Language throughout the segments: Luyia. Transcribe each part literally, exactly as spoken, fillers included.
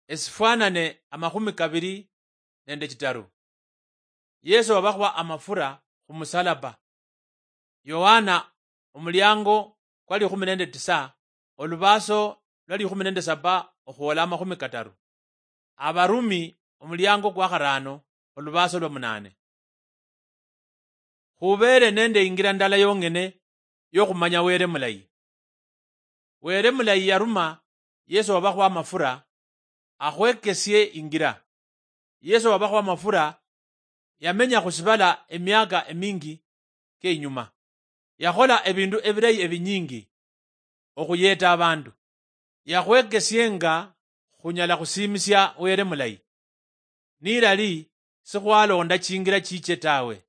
Esifwanane amakhumi kabiri nende chitaru. Yesu wabakhwa amafura khumusalaba. Yohana omuliango kwa likhumi nende tisa, olubaso lwa likhumi nende saba okhwola amakhumi kataru. Abarumi omuliango kwa kharano, olubaso lwa munane. Khubeere nende ingira ndala yong'ene yokhumanya Wele mulayi. Wele mulayi yaruma Yesu wabakhwa amafura akhwekesie ingira. Yesu wabakhwa amafura yamenya khusibala emiaka emingi keinyuma. Yakhola ebindu ebilayi ebinyingi okhuyeta abandu. Yakhwekesienga khunyala khusiimisia Wele mulayi. Nilali sikhwalonda chingira chiche tawe.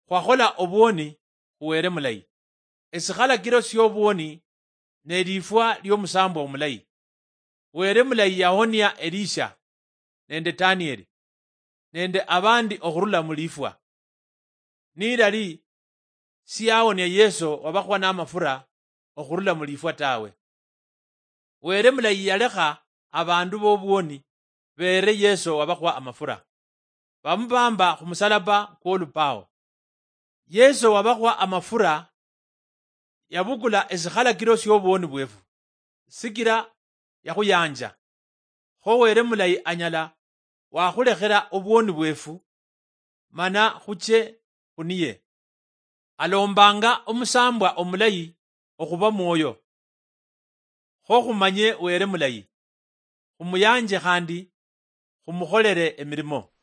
Khwakhola obwoni khu Wele mulayi. Esikhalakiro siobwoni ne lifwa liomusambwa omulayi. Wele mulayi yahonia Elisha nende Danieli nende abandi okhurula mulifwa. Nilali siyawonia Yesu wabakhwa namafura okhurula mulifwa tawe. Wele mulayi yalekha abandu bobwoni beere Yesu wabakhwa amafura, bamubamba khumusalaba kwolupao. Yesu wabakhwa amafura yabukula esikhalakiro siobwoni bwefu, sikira yakhuyanja. Kho Wele mulayi anyala wakhulekhera obwoni bwefu, mana khuche khuniye. Alombanga omusambwa omulayi okhuba mwoyo. Kho khumanye Wele mulayi, khumuyanje khandi khumukholere emirimo.